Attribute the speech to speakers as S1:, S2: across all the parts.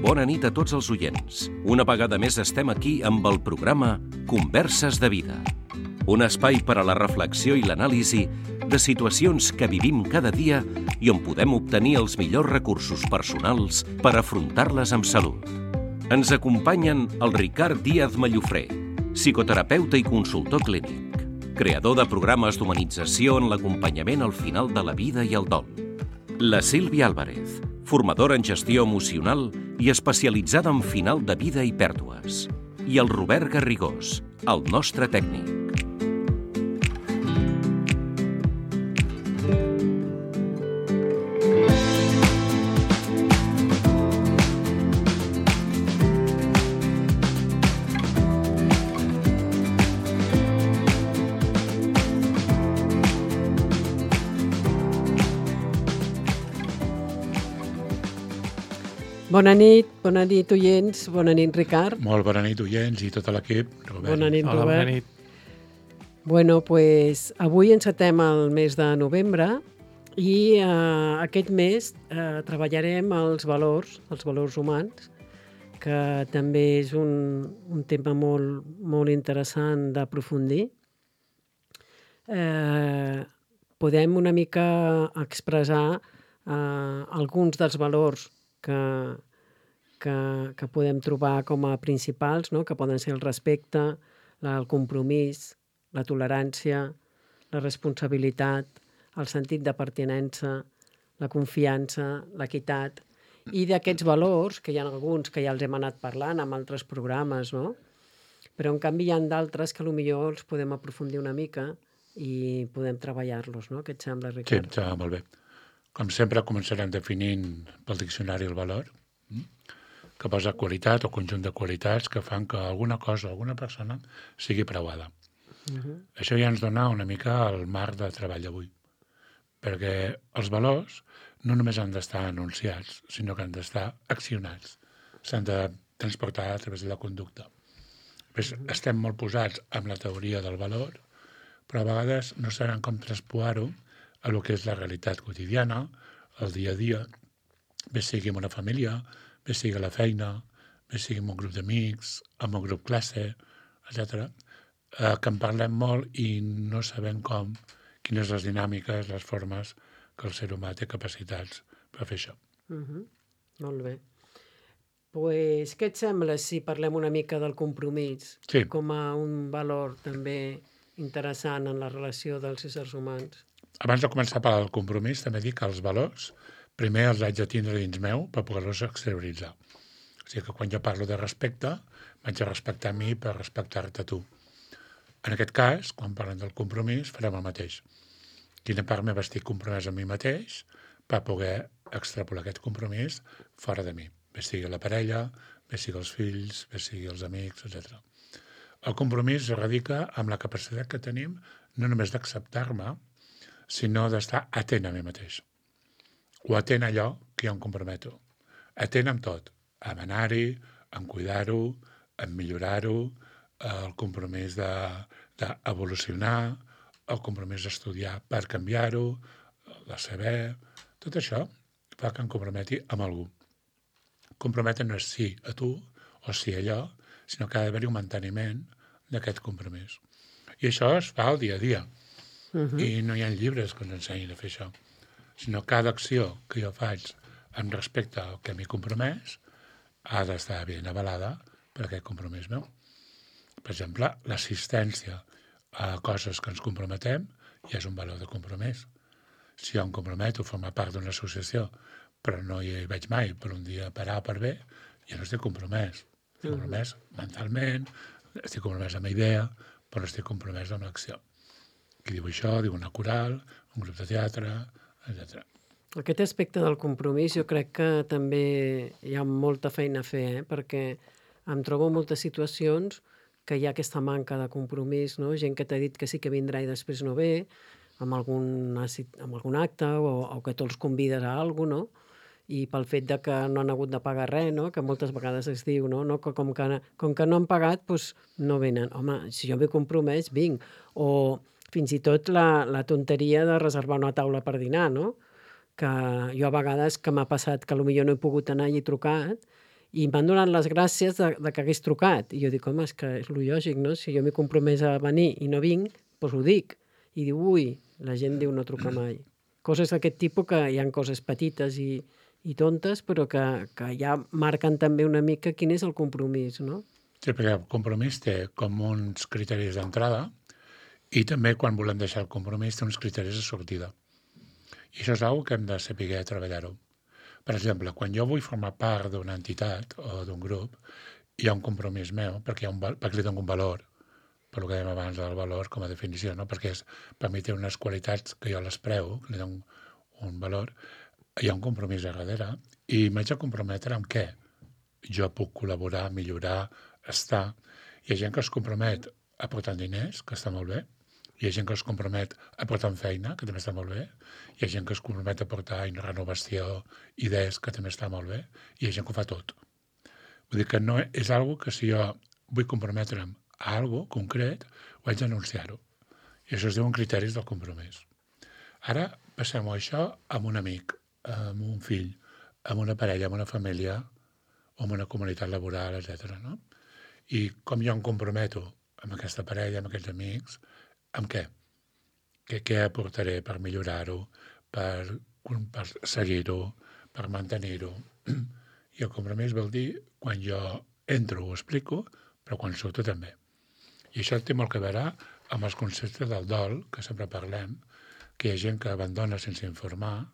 S1: Bona nit a tots els oients. Una vegada més estem aquí amb el programa Converses de Vida. Un espai per a la reflexió i l'anàlisi de situacions que vivim cada dia i on podem obtenir els millors recursos personals per afrontar-les amb salut. Ens acompanyen el Ricard Díaz Mallofré, psicoterapeuta i consultor clínic, creador de programes d'humanització en l'acompanyament al final de la vida i el dol. La Sílvia Álvarez, formadora en gestió emocional i especialitzada en final de vida i pèrdues. I el Robert Garrigós, el nostre tècnic.
S2: Bona nit, oients, bona nit, Ricard.
S3: Molt bona nit, oients, i tot l'equip. Robert.
S2: Bona nit,
S4: Hola,
S2: Robert.
S4: bona nit.
S2: Bueno, pues, avui encetem el mes de novembre i aquest mes treballarem els valors humans, que també és un tema molt interessant d'aprofundir. Podem una mica expressar alguns dels valors que podem trobar com a principals, no? Que poden ser el respecte, el compromís, la tolerància, la responsabilitat, el sentit de pertinença, la confiança, l'equitat. I d'aquests valors, que hi ha alguns que ja els hem anat parlant amb altres programes, no? Però en canvi hi ha d'altres que potser els podem aprofundir una mica i podem treballar-los, no? Què et sembla,
S3: Sí,
S2: Ricard?
S3: em sembla molt bé. Com sempre, començarem definint pel diccionari el valor, que posa qualitat o conjunt de qualitats que fan que alguna cosa o alguna persona sigui preuada. Això ja ens dona una mica el marc de treball d'avui, perquè els valors no només han d'estar anunciats, sinó que han d'estar accionats. S'han de transportar a través de la conducta. Estem molt posats amb la teoria del valor, però a vegades no sabem com transposar-ho a lo que és la realitat quotidiana, el dia a dia, bé sigui en una família, bé sigui a la feina, bé sigui en un grup d'amics, en un grup classe, etc. Que en parlem molt i no sabem quines les dinàmiques, les formes que el ser humà té capacitats per fer això.
S2: Molt bé. Pues, què et sembla si parlem una mica del compromís
S3: Sí.
S2: com a un valor també interessant en la relació dels éssers humans?
S3: Abans de començar a parlar del compromís, també dic que els valors primer els haig de tindre dins meu per poder-los exterioritzar. O sigui que quan jo parlo de respecte, m'haig de respectar a mi per respectar-te a tu. En aquest cas, quan parlem del compromís, farem el mateix. Quina part meva estic compromès amb mi mateix per poder extrapolar aquest compromís fora de mi. Bé sigui la parella, bé sigui els fills, bé sigui els amics, etc. El compromís es radica amb la capacitat que tenim no només d'acceptar-me, sinó d'estar atent a mi mateix. O atent a allò que jo em comprometo. Atent amb tot. En anar-hi, en cuidar-ho, en millorar-ho, el compromís d'evolucionar, el compromís d'estudiar per canviar-ho, de saber... Tot això fa que em comprometi amb algú. Comprometre no és sí a tu o sí a allò, sinó que ha d'haver-hi un manteniment d'aquest compromís. I això es fa al dia a dia. I no hi ha llibres que ens ensenyin a fer això, sinó cada acció que jo faig amb respecte al que m'he compromès ha d'estar ben avalada per aquest compromís meu. Per exemple, l'assistència a coses que ens comprometem ja és un valor de compromís. Si jo em comprometo a formar part d'una associació però no hi vaig mai per un dia per A o per B, ja no estic compromès. Estic compromès mentalment, estic compromès amb la idea, però no estic compromès amb l'acció. Qui diu això, diu una coral, un grup de teatre, etc.
S2: Aquest aspecte del compromís jo crec que també hi ha molta feina a fer, perquè em trobo en moltes situacions que hi ha aquesta manca de compromís, no? Gent que t'ha dit que sí que vindrà i després no ve, amb algun acte o que tu els convides a alguna cosa, no? I pel fet de que no han hagut de pagar res, no? Que moltes vegades es diu, no? Que com que no han pagat, doncs no venen. Home, si jo m'he compromès, vinc. O fins i tot la tonteria de reservar una taula per dinar, no? Que jo a vegades que m'ha passat que potser no he pogut anar i he trucat I m'han donat les gràcies de que hagués trucat. I jo dic, home, és que és lo lògic, no? Si jo m'he compromès a venir i no vinc, doncs ho dic. I diu, ui, la gent diu no truca mai. Coses d'aquest tipus que hi ha coses petites i tontes, però que ja marquen també una mica quin és el compromís, no?
S3: Sí, perquè el compromís té com uns criteris d'entrada i també quan volem deixar el compromís té uns criteris de sortida. I això és una cosa que hem de saber treballar-ho. Per exemple, quan jo vull formar part d'una entitat o d'un grup, hi ha un compromís meu, perquè li dono un valor, per el que dèiem abans del valor com a definició, no? Perquè per mi té unes qualitats que jo les preu, li dono un valor, hi ha un compromís a darrere, i m'haig de comprometre amb què? Jo puc col·laborar, millorar, estar. Hi ha gent que es compromet aportant diners, que està molt bé, hi ha gent que es compromet aportant feina, que també està molt bé, hi ha gent que es compromet a aportar renovació, idees, que també està molt bé, i hi ha gent que ho fa tot. Vull dir que no és algo que si jo vull comprometre'm a algo concret, ho haig d'anunciar-ho. I això es diuen criteris del compromís. Ara passem-ho això amb un amic, amb un fill, amb una parella, amb una família, o amb una comunitat laboral, etc. No? I com jo em comprometo amb aquesta parella, amb aquests amics, amb què? Què aportaré per millorar-ho, per seguir-ho, per mantenir-ho? I el compromís vol dir quan jo entro ho explico, però quan surto també. I això té molt a veure amb els conceptes del dol, que sempre parlem, que hi ha gent que abandona sense informar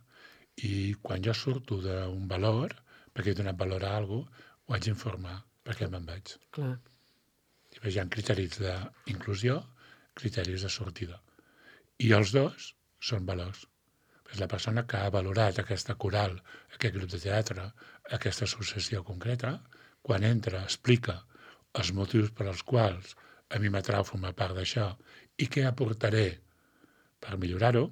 S3: i quan jo surto d'un valor, perquè he donat valor a alguna cosa, ho haig d'informar perquè me'n vaig.
S2: Clar.
S3: Hi ha criteris d'inclusió, criteris de sortida. I els dos són valors. És la persona que ha valorat aquesta coral, aquest grup de teatre, aquesta associació concreta, quan entra, explica els motius per als quals a mi m'atrau formar part d'això i què aportaré per millorar-ho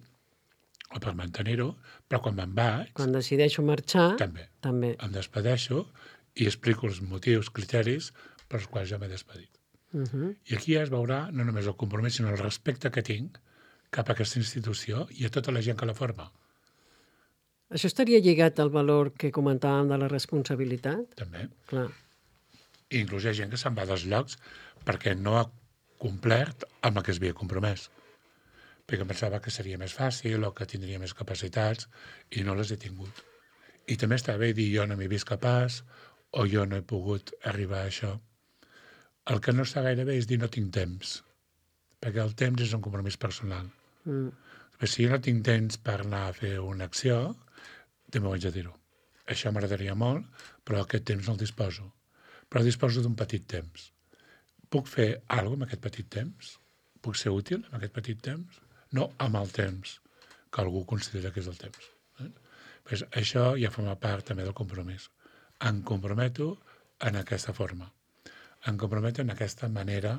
S3: o per mantenir-ho, però quan me'n vaig...
S2: Quan decideixo marxar,
S3: també. Em despedeixo i explico els motius, criteris per als quals ja m'he despedit. I aquí es veurà no només el compromís, sinó el respecte que tinc cap a aquesta institució i a tota la gent que la forma.
S2: Això estaria lligat al valor que comentàvem de la responsabilitat?
S3: També.
S2: Clar.
S3: I inclús hi ha gent que se'n va dels llocs perquè no ha complert amb el que es havia compromès. Perquè pensava que seria més fàcil o que tindria més capacitats i no les he tingut. I també està bé dir jo no m'he vist capaç o jo no he pogut arribar a això. El que no està gaire bé és dir no tinc temps, perquè el temps és un compromís personal. Si jo no tinc temps per anar a fer una acció, també ho haig de dir-ho. Això m'agradaria molt, però aquest temps no el disposo. Però disposo d'un petit temps. Puc fer alguna cosa amb aquest petit temps? Puc ser útil amb aquest petit temps? No amb el temps que algú considera que és el temps. Pues això ja forma part també del compromís. Em comprometo en aquesta forma. Em comprometo en aquesta manera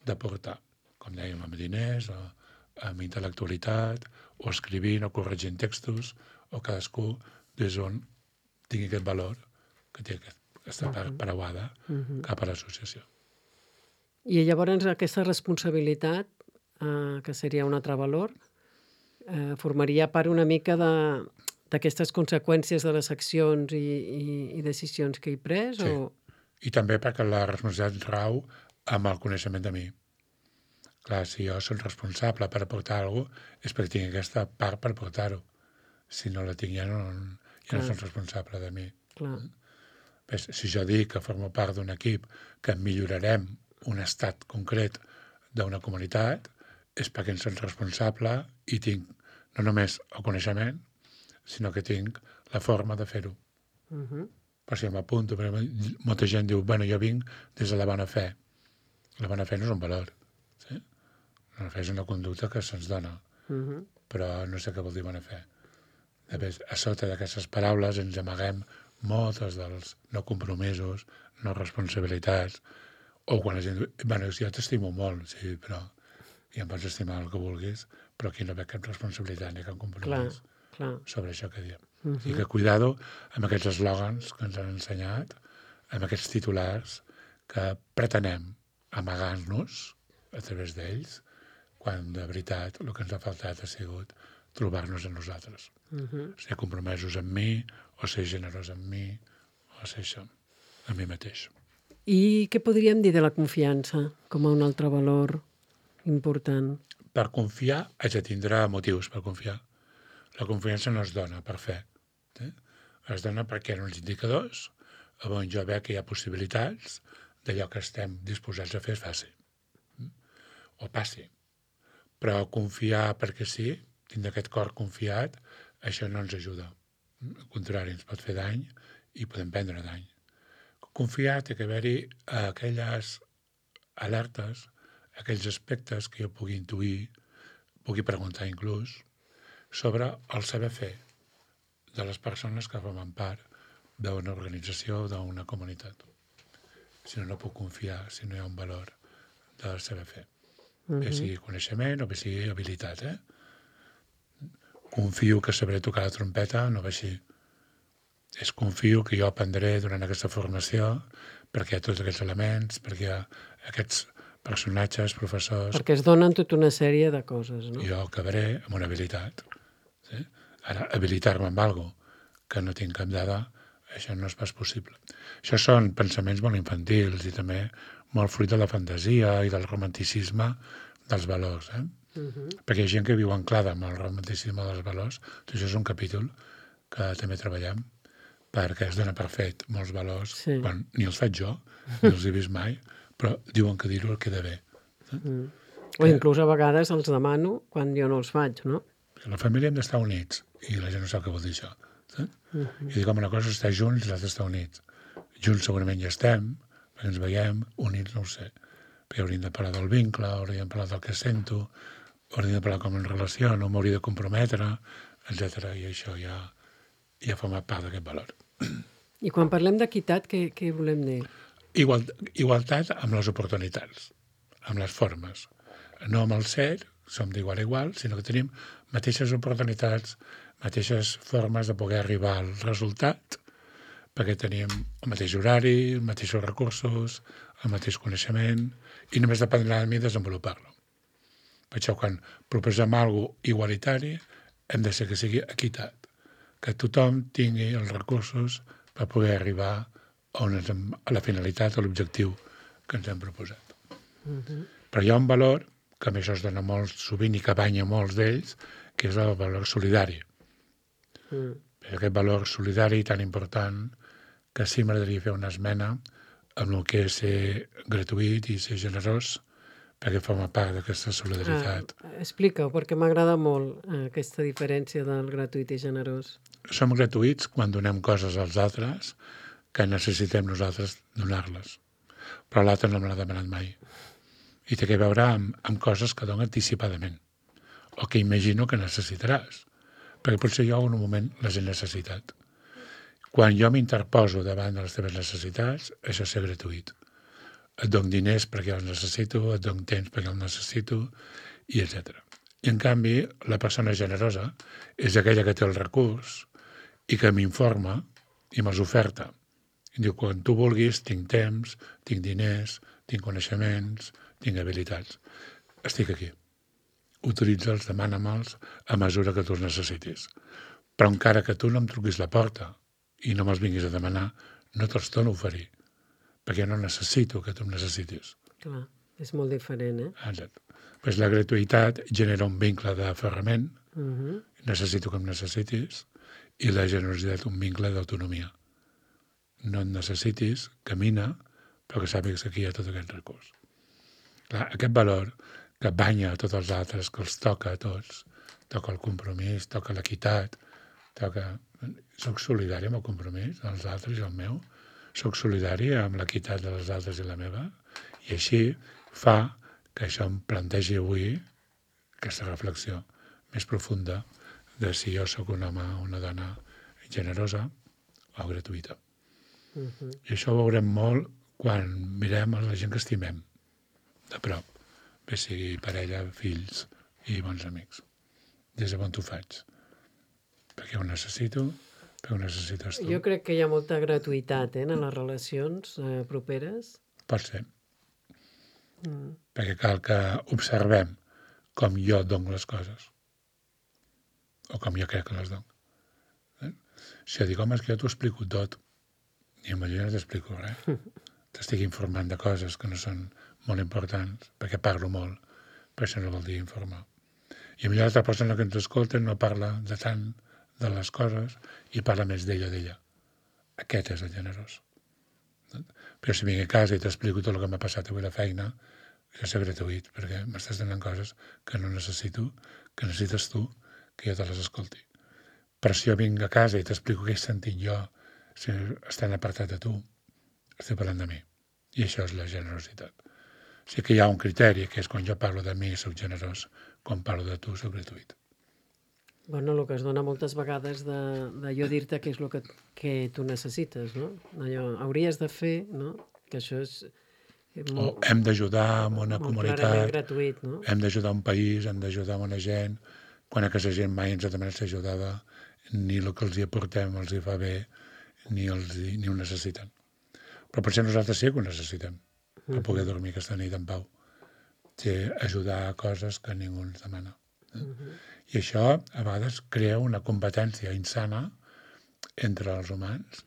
S3: de portar, com dèiem, amb diners, o amb intel·lectualitat, o escrivint, o corregint textos, o cadascú des on tingui aquest valor que té aquesta part preuada cap a l'associació.
S2: I llavors aquesta responsabilitat, que seria un altre valor, formaria part una mica d'aquestes conseqüències de les accions i decisions que he pres?
S3: Sí.
S2: O...
S3: I també perquè la responsabilitat rau amb el coneixement de mi. Clar, si jo soc responsable per aportar alguna cosa, és perquè tinc aquesta part per aportar-ho. Si no la tinc, ja no soc responsable de mi.
S2: Clar.
S3: Si jo dic que formo part d'un equip que millorarem un estat concret d'una comunitat, és perquè en soc responsable i tinc no només el coneixement, sinó que tinc la forma de fer-ho. Per si m'apunto, perquè molta gent diu, bueno, jo vinc des de la bona fe. La bona fe no és un valor. Sí? La bona fe és una conducta que se'ns dona, però no sé què vol dir bona fe. Després, a sota d'aquestes paraules ens amaguem moltes dels no compromisos, no responsabilitats, o quan la gent diu, bueno, jo t'estimo molt, sí, però ja em pots estimar el que vulguis, però aquí no veig cap responsabilitat ni cap compromís sobre això que diem. I que cuidado amb aquests eslògans que ens han ensenyat, amb aquests titulars que pretenem amagar-nos a través d'ells, quan de veritat el que ens ha faltat ha sigut trobar-nos en nosaltres. Ser compromesos amb mi, o ser generós amb mi, o ser això. a mi mateix.
S2: I què podríem dir de la confiança com a un altre valor important?
S3: Per confiar haig de tindre motius per confiar. La confiança no es dona per fe. Es dona perquè hi ha uns indicadors on jo veig que hi ha possibilitats d'allò que estem disposats a fer es faci. O passi. Però confiar perquè sí, tindre aquest cor confiat, això no ens ajuda. Al contrari, ens pot fer dany i podem prendre dany. Confiar té que haver-hi aquelles alertes, aquells aspectes que jo pugui intuir, pugui preguntar inclús, sobre el saber fer de les persones que formen part d'una organització o d'una comunitat. Si no, no puc confiar, si no hi ha un valor del saber fer. Bé sigui coneixement o bé sigui habilitat. Confio que sabré tocar la trompeta, no va així. Confio que jo aprendré durant aquesta formació perquè hi ha tots aquests elements, perquè hi ha aquests personatges, professors...
S2: Perquè es donen tota una sèrie de coses, no?
S3: Jo acabaré amb una habilitat. Sí? Ara, habilitar-me amb alguna cosa que no tinc cap dada, això no és pas possible. Això són pensaments molt infantils i també molt fruit de la fantasia i del romanticisme dels valors. Perquè hi ha gent que viu anclada amb el romanticisme dels valors. Això és un capítol que també treballem perquè es dona per fet molts valors, quan ni els faig jo, ni els he vist mai, però diuen que dir-ho el queda bé.
S2: O inclús a vegades els demano quan jo no els faig, no?
S3: La família hem d'estar units, i la gent no sap què vol dir això. I dic, una cosa és estar junts i l'altra estar units. Junts segurament ja estem, perquè ens veiem, units no ho sé. Perquè hauríem de parlar del vincle, hauríem de parlar del que sento, hauríem de parlar com em relaciono, m'hauria de comprometre, etc. I això ja forma part d'aquest valor.
S2: I quan parlem d'equitat, què volem dir?
S3: Igualtat amb les oportunitats, amb les formes. No amb el ser, som d'igual a igual, sinó que tenim mateixes oportunitats, mateixes formes de poder arribar al resultat, perquè tenim el mateix horari, els mateixos recursos, el mateix coneixement, i només dependrà de mi desenvolupar-lo. Per això, quan proposem alguna cosa igualitari, hem de ser que sigui equitat, que tothom tingui els recursos per poder arribar a la finalitat, a l'objectiu que ens hem proposat. Però hi ha un valor, que a més es dona molt sovint i que banya molts d'ells, que és el valor solidari. Aquest valor solidari tan important que sí m'agradaria fer una esmena amb el que és ser gratuït i ser generós, perquè forma part d'aquesta solidaritat.
S2: Explica-ho, perquè m'agrada molt aquesta diferència del gratuït i generós.
S3: Som gratuïts quan donem coses als altres que necessitem nosaltres donar-les, però l'altre no me l'ha demanat mai. I té a veure amb coses que dono anticipadament, o que imagino que necessitaràs, perquè potser jo en un moment les he necessitat. Quan jo m'interposo davant de les teves necessitats, això és ser gratuït. Et dono diners perquè els necessito, et dono temps perquè els necessito, i etc. I en canvi, la persona generosa és aquella que té el recurs i que m'informa i me'ls oferta. I diu, quan tu vulguis, tinc temps, tinc diners, tinc coneixements, tinc habilitats. Estic aquí. Utilitza'ls, demana-me'ls a mesura que tu els necessitis. Però encara que tu no em truquis la porta i no me'ls vinguis a demanar, no te'ls torno a oferir, perquè no necessito que tu em necessitis.
S2: Clar, és molt diferent,
S3: Exacte. Pues la gratuïtat genera un vincle d'aferrament, necessito que em necessitis, i la generositat un vincle d'autonomia. No et necessitis, camina, però que sàpigues que aquí hi ha tot aquest recurs. Clar, aquest valor que banya a tots els altres, que els toca a tots, toca el compromís, toca l'equitat, soc solidari amb el compromís dels altres i el meu, soc solidari amb l'equitat dels altres i la meva, i així fa que això em plantegi avui aquesta reflexió més profunda de si jo sóc un home o una dona generosa o gratuïta. I això ho veurem molt quan mirem a la gent que estimem de prop, bé sigui parella, fills i bons amics. Des de on t'ho faig? Perquè ho necessito, perquè ho necessites tu.
S2: Jo crec que hi ha molta gratuïtat en les relacions properes.
S3: Pot ser. Perquè cal que observem com jo dono les coses o com jo crec que les dono. Si jo dic, home, és que jo t'ho explico tot, I potser no t'explico res. T'estic informant de coses que no són molt importants, perquè parlo molt, però això no vol dir informar. I potser l'altra persona que ens escolta no parla de tant de les coses i parla més d'ella. Aquest és el generós. Però si vinc a casa i t'explico tot el que m'ha passat avui a la feina, això és gratuït, perquè m'estàs donant coses que no necessito, que necessites tu, que jo te les escolti. Però si jo vinc a casa i t'explico què he sentit jo, si estan apartat de tu, estic parlant de mi. I això és la generositat. O sigui que hi ha un criteri, que és quan jo parlo de mi soc generós, quan parlo de tu soc gratuït.
S2: Bueno, el que es dona moltes vegades de jo dir-te què és el que tu necessites, no? Allò, hauries de fer, no? Que això és
S3: O hem d'ajudar en una
S2: molt clarament
S3: comunitat,
S2: gratuït, no?
S3: hem d'ajudar un país, hem d'ajudar una gent, quan aquesta gent mai ens ha demanat ser ajudada, ni el que els hi aportem els hi fa bé, ni ho necessiten. Però potser nosaltres sí que ho necessitem, per poder dormir aquesta nit en pau. Ajudar a coses que ningú ens demana. I això a vegades crea una competència insana entre els humans.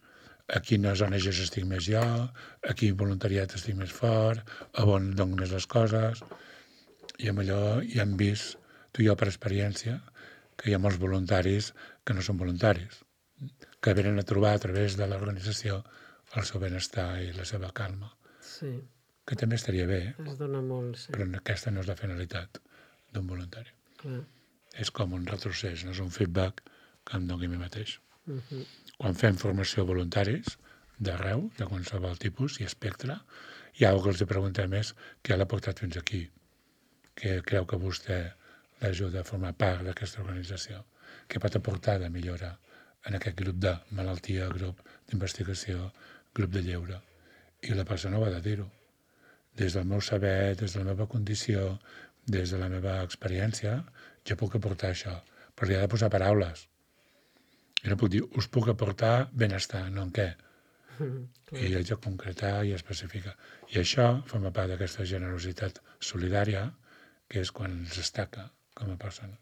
S3: A quines ONGs estic més jo, a quin voluntariat estic més fort, a on dono més les coses. I amb allò ja hem vist, tu i jo per experiència, que hi ha molts voluntaris que no són voluntaris, que venen a trobar a través de l'organització el seu benestar i la seva calma.
S2: Sí.
S3: Que també estaria bé,
S2: Es dona molt, sí.
S3: però aquesta no és la finalitat d'un voluntari.
S2: Clar.
S3: És com un retrocés, no és un feedback que em doni a mi mateix. Quan fem formació a voluntaris, d'arreu, de qualsevol tipus i espectre, hi ha algú que els preguntem és què l'ha portat fins aquí, què creu que vostè l'ajuda a formar part d'aquesta organització, què pot aportar de millora en aquest grup de malaltia, grup d'investigació, grup de lleure. I la persona ho ha de dir-ho. Des del meu saber, des de la meva condició, des de la meva experiència, jo puc aportar això, però li ha de posar paraules. I no puc dir, us puc aportar benestar, no en què. I haig de concretar i especificar. I això forma part d'aquesta generositat solidària, que és quan ens destaca com a persones.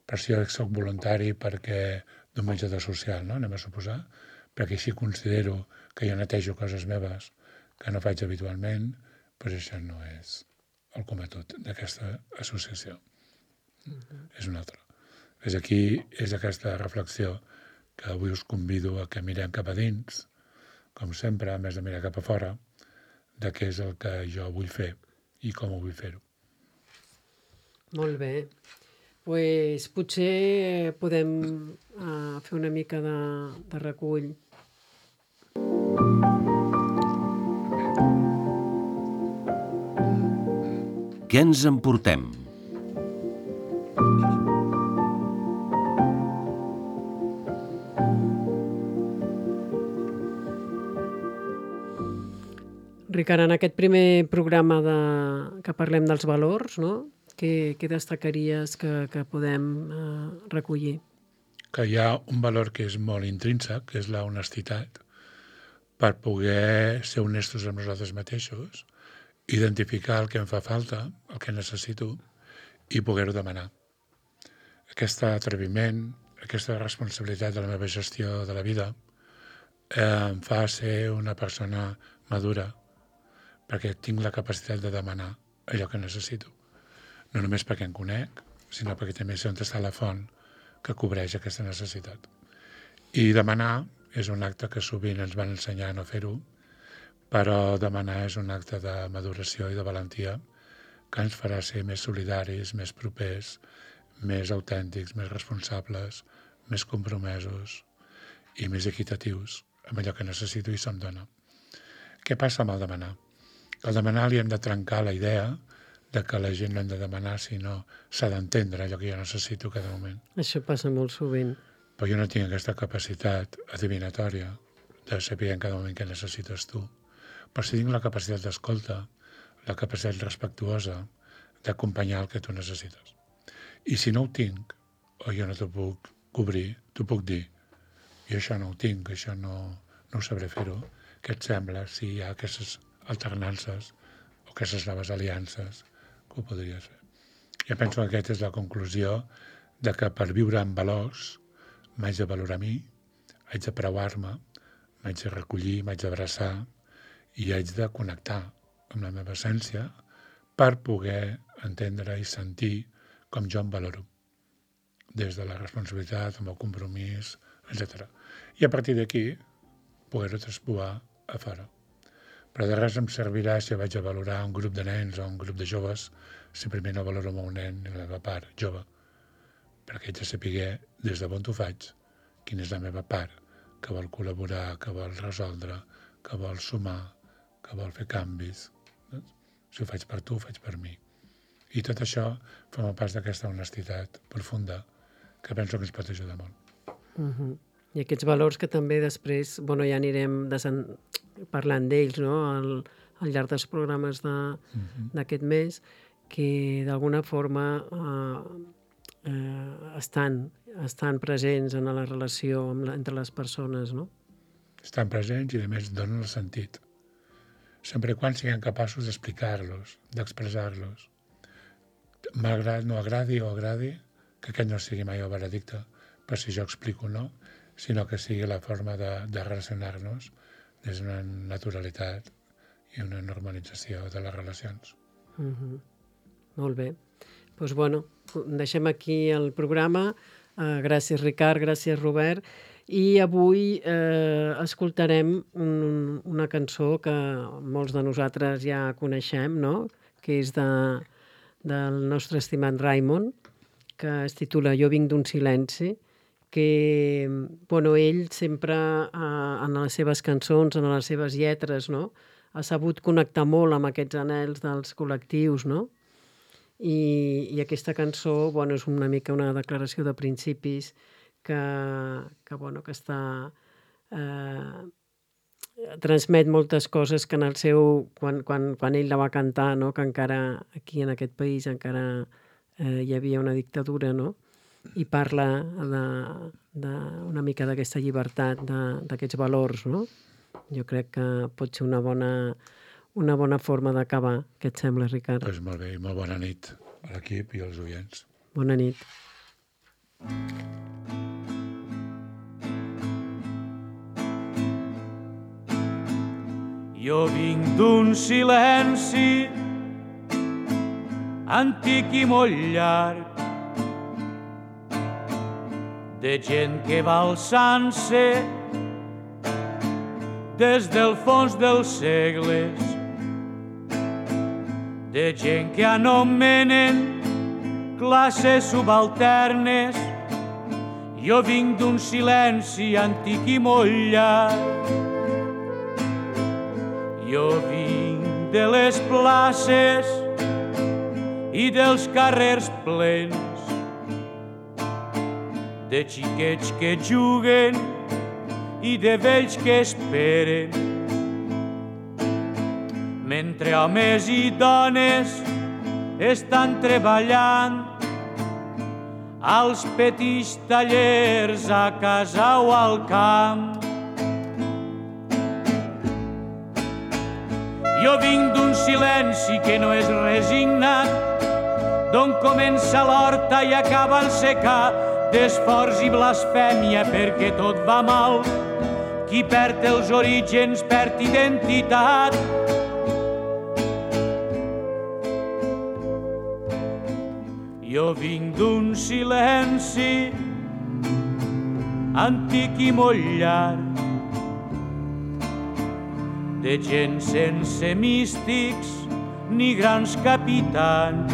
S3: Per si jo soc voluntari perquè d'un menjador social, no? Anem a suposar, perquè així considero que jo netejo coses meves que no faig habitualment, però això no és el cometut d'aquesta associació. És un altre. És aquí, és aquesta reflexió que avui us convido a que mirem cap a dins, com sempre, a més de mirar cap a fora, de què és el que jo vull fer i com ho vull fer-ho.
S2: Molt bé. Pues potser podem fer una mica de recull.
S1: Què ens emportem?
S2: Ricard, en aquest primer programa que parlem dels valors, no? Què destacaries que podem recollir?
S3: Que hi ha un valor que és molt intrínsec, que és la honestitat, per poder ser honestos amb nosaltres mateixos, identificar el que em fa falta, el que necessito, i poder-ho demanar. Aquest atreviment, aquesta responsabilitat de la meva gestió de la vida, em fa ser una persona madura, perquè tinc la capacitat de demanar allò que necessito. No només perquè em conec, sinó perquè també sé on està la font que cobreix aquesta necessitat. I demanar és un acte que sovint ens van ensenyar a no fer-ho, però demanar és un acte de maduració i de valentia que ens farà ser més solidaris, més propers, més autèntics, més responsables, més compromesos i més equitatius amb allò que necessito i se'm dona. Què passa amb el demanar? Al demanar li hem de trencar la idea de que la gent no hem de demanar, sinó s'ha d'entendre allò que jo necessito cada moment.
S2: Això passa molt sovint.
S3: Però jo no tinc aquesta capacitat adivinatòria de saber en cada moment què necessites tu. Però sí tinc la capacitat d'escolta, la capacitat respectuosa d'acompanyar el que tu necessites. I si no ho tinc, o jo no t'ho puc cobrir, t'ho puc dir. Jo això no ho tinc, això no ho sabré fer-ho. Què et sembla si hi ha aquestes alternances o aquestes noves aliances que ho podries fer? Jo penso que aquesta és la conclusió de que per viure amb valors m'haig de valorar a mi, haig de preuar-me, m'haig de recollir, m'haig d'abraçar i haig de connectar amb la meva essència per poder entendre i sentir com jo em valoro, des de la responsabilitat, amb el compromís, etc. I a partir d'aquí, poder-ho traspoar a fora. Però de res em servirà si vaig a valorar un grup de nens o un grup de joves si primer no valoro el meu nen i la meva part jove, perquè haig de saber des de on ho faig, quina és la meva part, que vol col·laborar, que vol resoldre, que vol sumar, que vol fer canvis. Si ho faig per tu, ho faig per mi. I tot això forma part d'aquesta honestitat profunda que penso que ens pot ajudar molt.
S2: I aquests valors que també després ja anirem parlant d'ells, no?, al llarg dels programes d'aquest mes, que d'alguna forma estan presents en la relació entre les persones, no?
S3: Estan presents i, a més, donen el sentit. Sempre quan siguem capaços d'explicar-los, d'expressar-los. Malgrat no agradi o agradi, que aquest no sigui mai el veredicte, per si jo explico o no, sinó que sigui la forma de relacionar-nos des d'una naturalitat i una normalització de les relacions.
S2: Molt bé. Doncs, deixem aquí el programa. Gràcies, Ricard, gràcies, Robert. I avui escoltarem una cançó que molts de nosaltres ja coneixem, no?, que és del nostre estimat Raimon, que es titula Jo vinc d'un silenci, que ell sempre en les seves cançons, en les seves lletres, no?, ha sabut connectar molt amb aquests anhels dels col·lectius, no? I aquesta cançó és una mica una declaració de principis que està transmet moltes coses que en el seu quan ell la va cantar, no?, que encara aquí en aquest país encara hi havia una dictadura, no?, i parla una mica d'aquesta llibertat, d'aquests valors, no? Jo crec que pot ser una bona forma d'acabar. Què et sembla, Ricard?
S3: Doncs molt bé, i molt bona nit a l'equip i als oients.
S2: Bona nit.
S4: Jo vinc d'un silenci antic i molt llarg, de gent que va alçant-se des del fons dels segles, de gent que anomenen classes subalternes. Jo vinc d'un silenci antic i molt llarg. Jo vinc de les places i dels carrers plens, de xiquets que juguen i de vells que esperen, mentre homes i dones estan treballant als petits tallers a casa o al camp. Jo vinc d'un silenci que no és resignat, d'on comença l'horta i acaba el secà, d'esforç i blasfèmia perquè tot va mal. Qui perd els orígens perd identitat. Jo vinc d'un silenci antic i molt llarg, de gent sense místics ni grans capitans,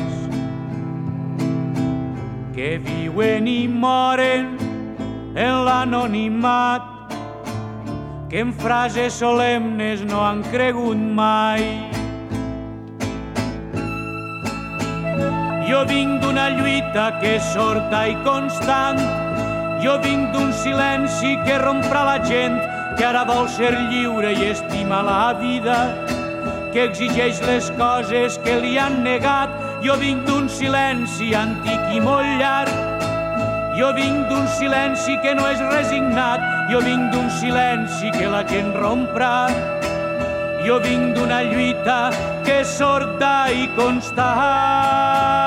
S4: que viuen i moren en l'anonimat, que en frases solemnes no han cregut mai. Jo vinc d'una lluita que és sorda i constant, jo vinc d'un silenci que romprà la gent, que ara vol ser lliure i estima la vida, que exigeix les coses que li han negat. Jo vinc d'un silenci antic i molt llarg, jo vinc d'un silenci que no és resignat, jo vinc d'un silenci que la gent romprà, jo vinc d'una lluita que és sorda i constant.